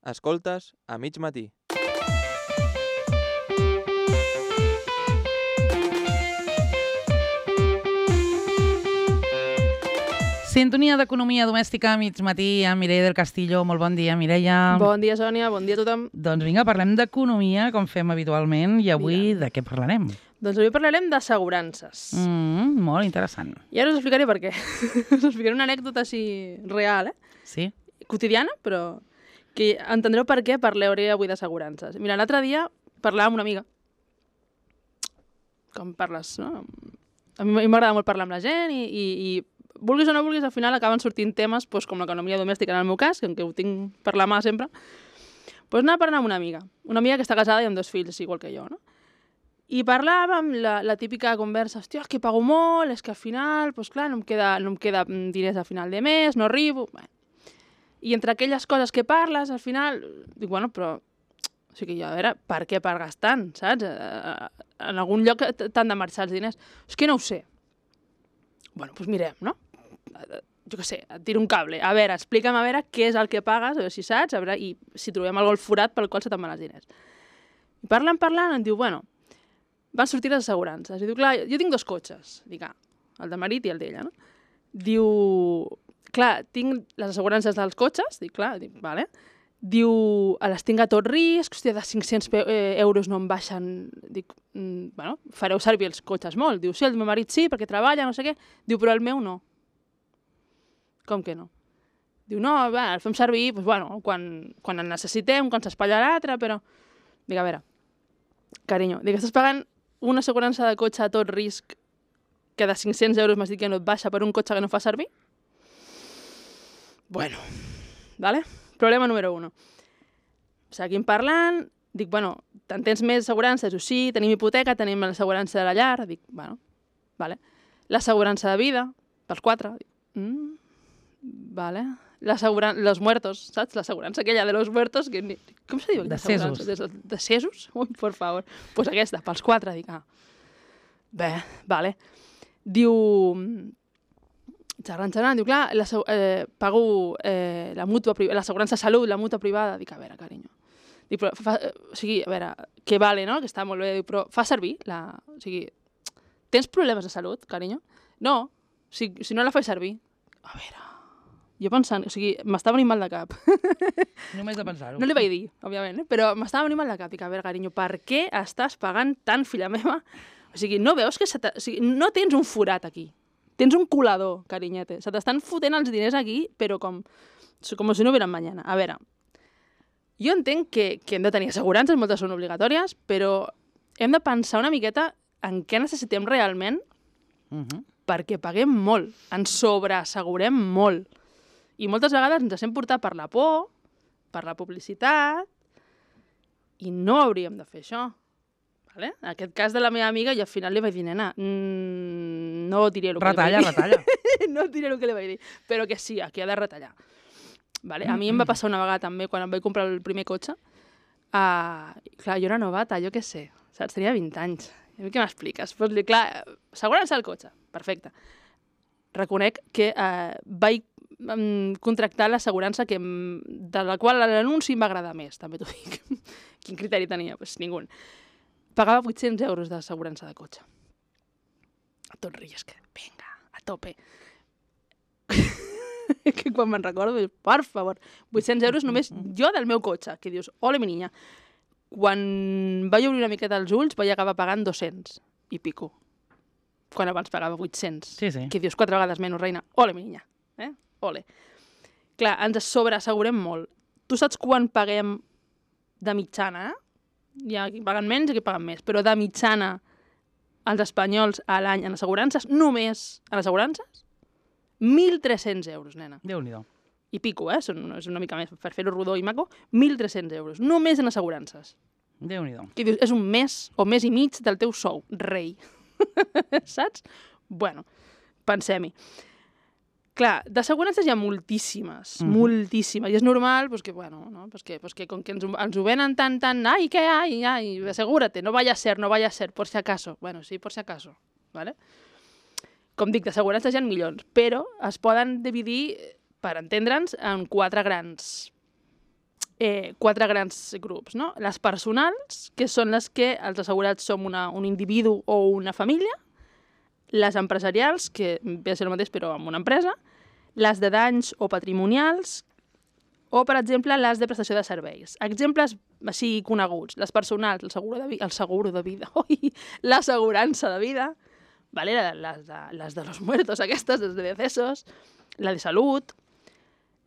Escoltes a mig matí. Sintonia d'Economia Domèstica a mig matí amb Mireia del Castillo. Molt bon dia, Mireia. Bon dia, Sònia. Bon dia a tothom. Doncs vinga, parlem d'economia, com fem habitualment, i avui de què parlarem? Doncs avui parlarem d'assegurances. Molt interessant. I ara us explicaré per què. Us explicaré una anècdota així real, Sí? quotidiana, però que entendreu per què parlaré avui d'assegurances. Mira, l'altre dia parlava amb una amiga. Com parles, no? A mi m'agrada molt parlar amb la gent i vulguis o no vulguis, al final acaben sortint temes com l'economia domèstica, en el meu cas, que ho tinc per la mà sempre. Doncs anava a parlar amb una amiga que està casada i amb 2 fills, igual que jo, no? I parlàvem la típica conversa, hòstia, és que pago molt, és que al final, doncs clar, no em queda diners al final de mes, no arribo... Bé. I entre aquelles coses que parles, al final, dic, bueno, però... O sigui, a veure, per què pagues tant, saps? En algun lloc t'han de marxar els diners. És que no ho sé. Bueno, doncs mirem, no? Jo què sé, et tiro un cable. A veure, explica'm a veure què és el que pagues, a veure si saps, a veure, i si trobem algú al forat pel qual se te'n van els diners. I parlant, em diu, bueno, van sortir les assegurances. I diu, clar, jo tinc 2 cotxes. Dic, el de marit i el d'ella, no? Diu, clar, tinc les assegurances dels cotxes. Dic, clar, vale. Diu, les tinc a tot risc, hòstia, de 500 euros no em baixen. Dic, bueno, fareu servir els cotxes molt. Diu, sí, el meu marit sí, perquè treballa, no sé què. Diu, però el meu no. Com que no? Diu, no, va, el fem servir, doncs, bueno, quan el necessitem, quan s'espatlla l'altre, però... Dic, a veure, carinyo, dic, estàs pagant una assegurança de cotxe a tot risc que de 500 euros m'has dit que no et baixa per un cotxe que no fa servir? Bueno, vale? Problema número 1. Seguim parlant, dic, bueno, te'n tens més assegurances? O sí, tenim hipoteca, tenim l'assegurança de la llar, dic, bueno, vale. L'assegurança de vida, pels 4, dic, vale. Los muertos, saps? L'assegurança aquella de los muertos, que com se diu? Decesos. Decesos? Ui, por favor. Doncs pues aquesta, pels 4, dic, bé, vale. Diu, xerrant, diu, clar, pago l'assegurança de salut, la mútua privada. Dic, a veure, carinyo. Dic, però, o sigui, a veure, que vale, no?, que està molt bé, dic, però fa servir o sigui, tens problemes de salut, carinyo? No, si no la faig servir. A veure, jo pensant, o sigui, m'estava venint mal de cap. Només de pensar-ho. No li vaig dir, òbviament, però m'estava venint mal de cap. Dic, a veure, carinyo, per què estàs pagant tant, filla meva? O sigui, no veus que o sigui, no tens un forat aquí. Tens un colador, carinyete. Se t'estan fotent els diners aquí, però com si no hubieran mañana. A veure, jo entenc que hem de tenir assegurances, moltes són obligatòries, però hem de pensar una miqueta en què necessitem realment perquè paguem molt, ens sobreassegurem molt. I moltes vegades ens deixem portar per la por, per la publicitat, i no hauríem de fer això. Vale? En aquest cas de la meva amiga, jo al final li vaig dir, nena, no diré el que li vaig dir. Retalla. No diré el que li vaig dir, però que sí, aquí ha de retallar. Vale? A mi em va passar una vegada també, quan em vaig comprar el primer cotxe. Clar, jo era novata, jo què sé, saps? Tenia 20 anys. A mi què m'expliques? Pues, clar, assegurança del cotxe, perfecte. Reconec que vaig contractar l'assegurança de la qual l'anunci em va agradar més, també t'ho dic. Quin criteri tenia? Pues ningú. Pagava 800 euros d'assegurança de cotxe. A tot risc. Vinga, a tope. Que quan me'n recordo, per favor, 800 euros només jo del meu cotxe. Que dius, ole, mi niña. Quan vaig obrir una miqueta els ulls, vaig acabar pagant 200 i pico. Quan abans pagava 800. Sí. Que dius 4 vegades menys, reina. Ole, mi niña. Ole. Clar, ens sobreassegurem molt. Tu saps quan paguem de mitjana, Hi ha qui paguen menys i qui paguen més, però de mitjana els espanyols a l'any en assegurances, només en assegurances, 1.300 euros, nena. Déu-n'hi-do. I pico, és una mica més, per fer-ho rodó i maco, 1.300 euros, només en assegurances. Déu-n'hi-do. Que dius, és un mes o mes i mig del teu sou, rei. Saps? Bueno, pensem-hi. Clar, d'assegurances hi ha moltíssimes, moltíssimes, i és normal que, bueno, no? Que com que ens ho venen tant, ai, què, ai, assegúrate, no vaya a ser, por si acaso. Bueno, sí, por si acaso, ¿vale? Com dic, d'assegurances hi ha milions, però es poden dividir, per entendre'ns, en 4 grans 4 grans grups, no? Les personals, que són les que els assegurats som un individu o una família, les empresarials, que ve a ser el mateix però amb una empresa, les de danys o patrimonials, o, per exemple, les de prestació de serveis. Exemples així coneguts, les personals, el seguro de vida, l'assegurança de vida, ¿vale? Les de los muertos, aquestes, les de decesos, la de salut,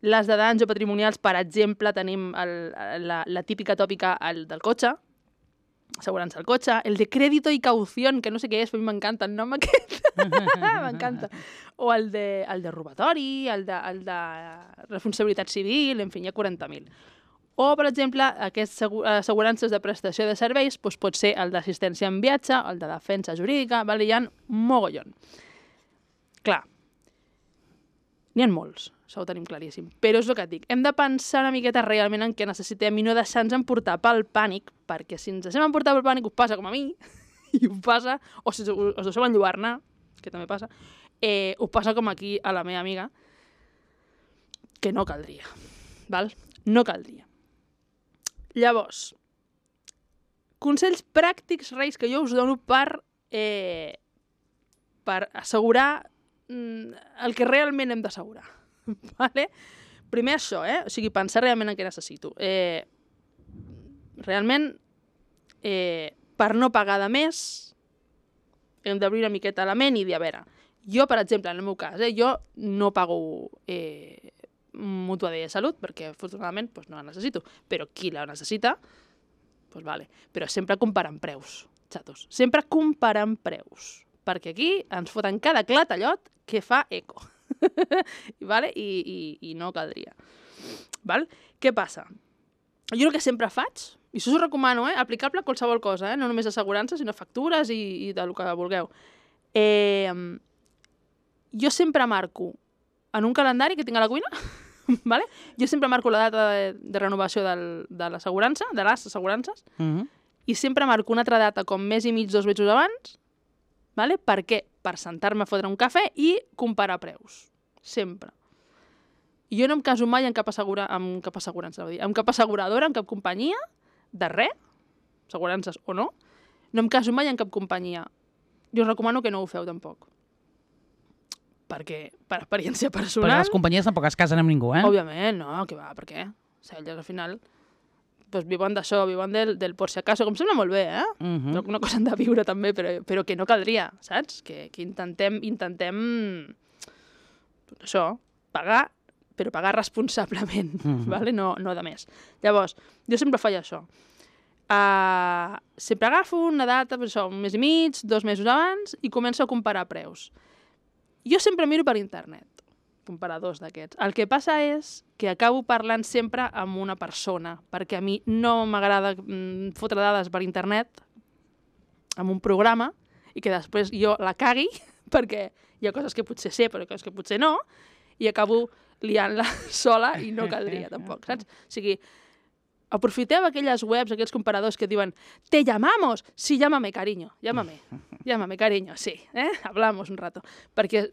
les de danys o patrimonials, per exemple, tenim la típica tòpica del cotxe, assegurança del cotxe, el de crédito i caución, que no sé què és, però a mi m'encanta el nom aquest, m'encanta. O el de robatori, el de responsabilitat civil, en fi, hi ha 40.000. O, per exemple, aquestes assegurances de prestació de serveis doncs pot ser el d'assistència en viatge, el de defensa jurídica, vale? Hi ha mogollon. Clar, n'hi ha molts, això ho tenim claríssim. Però és el que et dic, hem de pensar una miqueta realment en què necessitem i no deixar-nos emportar pel pànic, perquè si ens deixem emportar pel pànic us passa com a mi, i us passa, o si us deixeu enlluernar, que també passa, us passa com aquí a la meva amiga, que no caldria, val? No caldria. Llavors, consells pràctics, Reis, que jo us dono per assegurar el que realment hem d'assegurar. Vale? Primer això, o sigui, pensar realment en què necessito. Realment, per no pagar de més, hem d'obrir una miqueta la ment i dir, a veure, jo, per exemple, en el meu cas, jo no pago mútua de salut, perquè afortunadament no la necessito, però qui la necessita, doncs vale. Però sempre comparant preus, xatos. Sempre comparant preus, perquè aquí ens foten cada clatallot que fa eco. Vale? I no caldria. Val? Què passa? Jo el que sempre faig, i això us ho recomano, aplicable a qualsevol cosa, no només assegurances, sinó factures i del que vulgueu. Jo sempre marco en un calendari que tinc a la cuina, vale? Jo sempre marco la data de renovació de l'assegurança, de les assegurances, i sempre marco una altra data com mes i mig, 2 mesos abans, vale? Per què? Per sentar-me a fotre un cafè i comparar preus. Sempre. I jo no em caso mai amb cap asseguradora, amb cap asseguradora, amb cap companyia, de res, assegurances o no, no em caso mai amb cap companyia. Jo us recomano que no ho feu tampoc. Perquè, per experiència personal... Perquè les companyies tampoc es casen amb ningú, Òbviament, no, que va, per què? O sigui, elles al final viuen d'això, viuen del por si acaso, com sembla molt bé, Una cosa han de viure també, però que no caldria, saps? Que intentem això, pagar, però pagar responsablement, vale? No de més. Llavors, jo sempre faig això. Sempre agafo una data, un mes i mig, 2 mesos abans, i començo a comparar preus. Jo sempre miro per internet, comparadors d'aquests. El que passa és que acabo parlant sempre amb una persona, perquè a mi no m'agrada fotre dades per internet amb un programa i que després jo la cagui, perquè hi ha coses que potser sé, però coses que potser no, i acabo liant-la sola i no caldria tampoc, saps? O sigui, aprofiteu aquelles webs, aquells comparadors que diuen «Te llamamos!» Sí, llámame, cariño, llámame, cariño, sí, hablamos un rato. Perquè,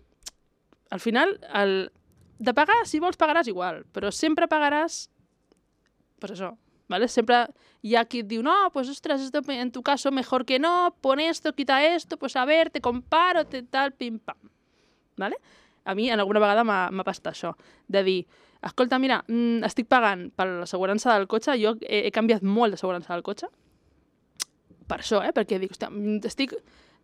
al final, de pagar, si vols, pagaràs igual, però sempre pagaràs, pues això, ¿vale? Sempre hi ha qui et diu «No, pues, ostras, esto en tu caso mejor que no, pon esto, quita esto, pues a ver, te comparo, te tal, pim-pam», ¿vale? A mi, en alguna vegada m'ha passat això, de dir escolta, mira, estic pagant per l'assegurança del cotxe, jo he canviat molt d'assegurança del cotxe, per això, perquè dic, hòstia,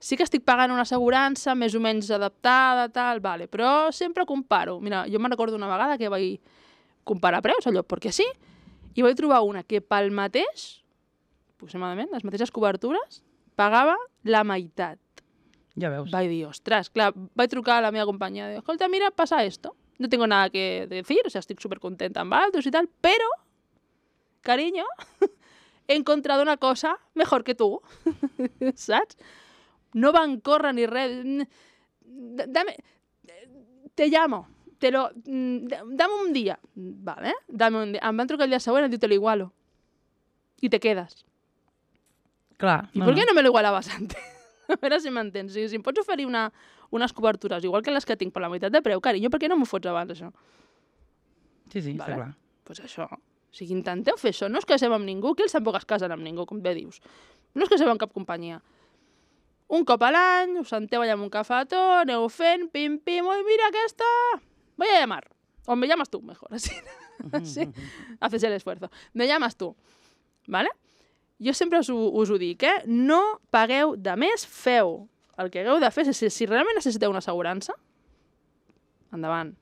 sí que estic pagant una assegurança més o menys adaptada, tal, vale, però sempre comparo. Mira, jo me'n recordo una vegada que vaig comparar preus, allò, perquè sí, i vaig trobar una que pel mateix, aproximadament, les mateixes cobertures, pagava la meitat. Ja veus. Vaig dir, ostres, clar, vaig trucar a la meva companya, dic, escolta, mira, passa esto. No tengo nada que decir, o sea, estoy súper contenta amb altos y tal, pero, cariño, he encontrado una cosa mejor que tú, saps? No van córrer ni res. Dame, te llamo, dame un día, vale, dame un día. Em van trucar el dia següent, et diu, te lo igualo, y te quedas. Clar. ¿Y por qué no me lo igualabas antes? A veure si m'entens. Si em pots oferir unes cobertures, igual que les que tinc per la meitat de preu, carinyo, per què no m'ho fots abans, això? Sí, està clar. Doncs això. O sigui, intenteu fer això. No us caseu amb ningú, que ells tampoc es casen amb ningú, com bé dius. No us caseu amb cap companyia. Un cop a l'any, us senteu allà amb un cafetó, aneu fent, pim, oi, mira aquesta, voy a llamar. O me llamas tú, mejor, así. Sí? Haces el esfuerzo. Me llamas tú. ¿Vale? Jo sempre us ho dic, No pagueu de més, feu el que hagueu de fer. Si realment necessiteu una assegurança, endavant.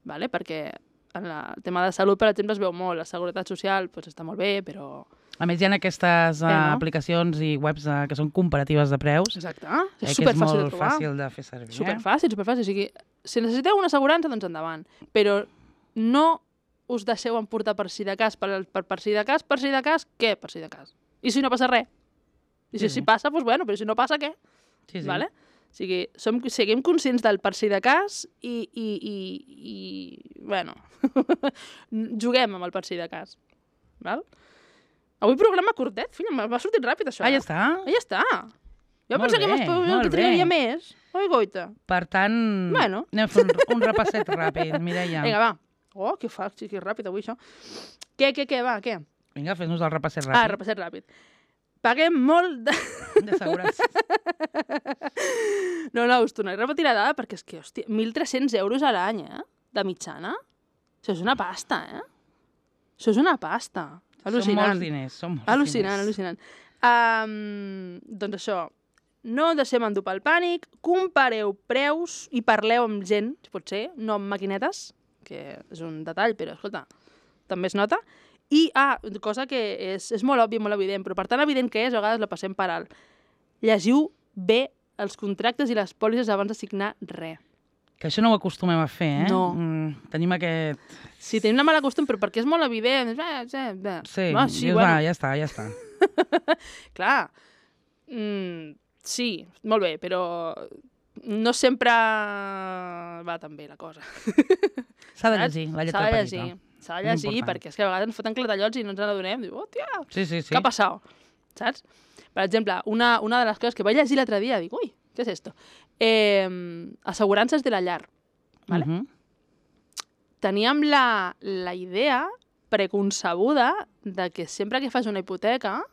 ¿Vale? Perquè en el tema de salut, per exemple, es veu molt. La seguretat social està molt bé, però... A més, hi ha aquestes aplicacions i webs que són comparatives de preus. Exacte. És superfàcil de trobar. És molt fàcil de fer servir. Superfàcil. O sigui, si necessiteu una assegurança, doncs endavant. Però no us deixeu emportar per si de cas, per si de cas, què per si de cas? I si no passa res? I si passa, doncs bueno, però si no passa, què? Sí. Vale? O sigui, siguem conscients del per si de cas i bueno, juguem amb el per si de cas. Val? Avui programa curtet, filla, m'ha sortit ràpid això. Ja està? Ja està. Jo pensava que trigaria més. Oi, goita. Per tant, anem a fer un repasset ràpid, Mireia. Vinga, va. Oh, que ràpid avui, això. Què, va, què? Vinga, fes-nos el repasset ràpid. Repasset ràpid. Paguem molt d'assegurança. No, us tornaré a repetir la dada perquè és que, hòstia, 1.300 euros a l'any, de mitjana. Això és una pasta, Això és una pasta. Al·lucinant. Són molts diners, Al·lucinant. Doncs això, no deixem endur pel pànic, compareu preus i parleu amb gent, si pot ser, no amb maquinetes, que és un detall, però, escolta, també es nota. I, cosa que és molt òbvia, molt evident, però per tan evident que és, a vegades la passem per alt. Llegiu bé els contractes i les pòlisses abans de signar res. Que això no ho acostumem a fer, No. Tenim aquest... Sí, tenim una mala costum, però perquè és molt evident. Sí, bueno. Ja està. Clar, sí, molt bé, però no sempre va tan bé la cosa. S'ha de llegir, la lletra petita. S'ha de llegir, perquè és que a vegades ens foten clatallots i no ens n'adonem. Diu, hòstia, sí. què ha passat? Saps? Per exemple, una de les coses que vaig llegir l'altre dia, dic, ui, què és esto? Assegurances de la llar. ¿Vale? Teníem la idea preconcebuda de que sempre que fas una hipoteca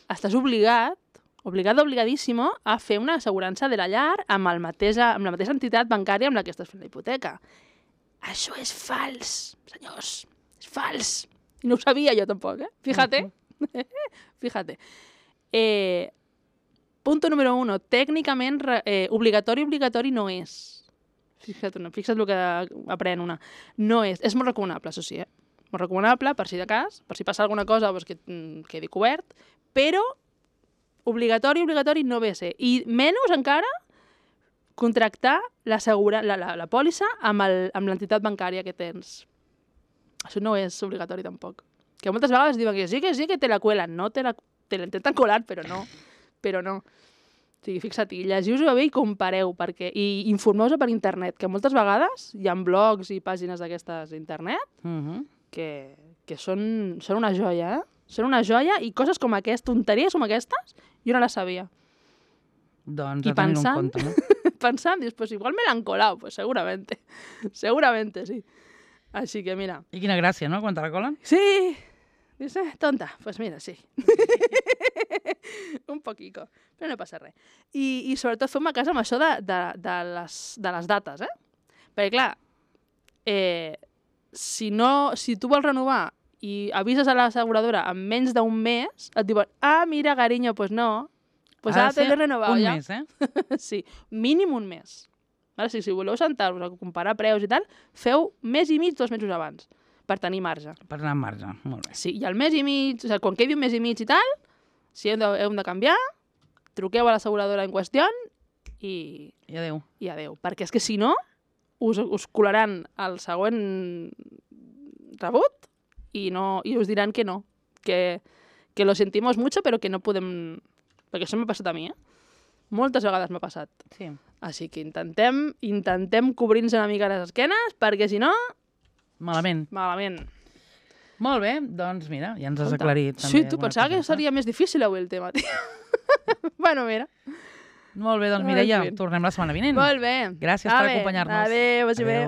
estàs obligadíssimo a fer una assegurança de la llar amb la mateixa entitat bancària amb la que estàs fent la hipoteca. Això és fals, senyors. És fals. I no ho sabia jo tampoc, Fíjate. Fíjate. Punto número 1. Tècnicament, obligatori no és. Fixa't el que aprèn una. No és. És molt recomanable, això sí, Molt recomanable, per si de cas, per si passa alguna cosa, doncs que quedi cobert, però obligatori no ve a ser. I menys encara contractar la pòlissa amb l'entitat bancària que tens. Això no és obligatori tampoc. Que moltes vegades diuen que sí que te la cuelan, no te la intenten colar, però no. O sigui, fixa't, llegiu-vos bé i compareu, i informeu-vos per internet, que moltes vegades hi ha blogs i pàgines d'aquestes d'internet que són una joia, Són una joia i coses com aquestes, tonteries com aquestes, jo no les sabia. Doncs a tenir en compte, no? Pensant, dius, pues igual me l'han colado, pues seguramente sí. Així que mira. I quina gràcia, no?, quan te la colen. Sí! Dius, tonta, pues mira, sí. Un poquito, però no passa res. I sobretot fem-me cas amb això de les dates, Perquè, clar, si tu vols renovar i avises a l'asseguradora en menys d'un mes, et diuen, mira, carinyo, pues no, pues ara t'he de renovar ja. Un mes, Sí, mínim un mes. Ara, si voleu sentar-vos a comparar preus i tal, feu mes i mig, 2 mesos abans, per tenir marge. Per anar amb marge, molt bé. Sí, i al mes i mig, o sigui, quan quedi un mes i mig i tal, si heu de canviar, truqueu a l'asseguradora en qüestió i adéu. I adéu. Perquè és que si no, us colaran el següent rebut i us diran que no, que lo sentimos mucho, però que no podem... Perquè això m'ha passat a mi, Moltes vegades m'ha passat. Sí. Així que intentem cobrir-nos una mica les esquenes, perquè si no... Malament. Molt bé, doncs mira, ja ens has aclarit. Sí, tu pensava que seria més difícil avui el tema, tio. Bueno, mira. Molt bé, doncs Mireia, tornem la setmana vinent. Molt bé. Gràcies per acompanyar-nos. Adéu, vagi bé.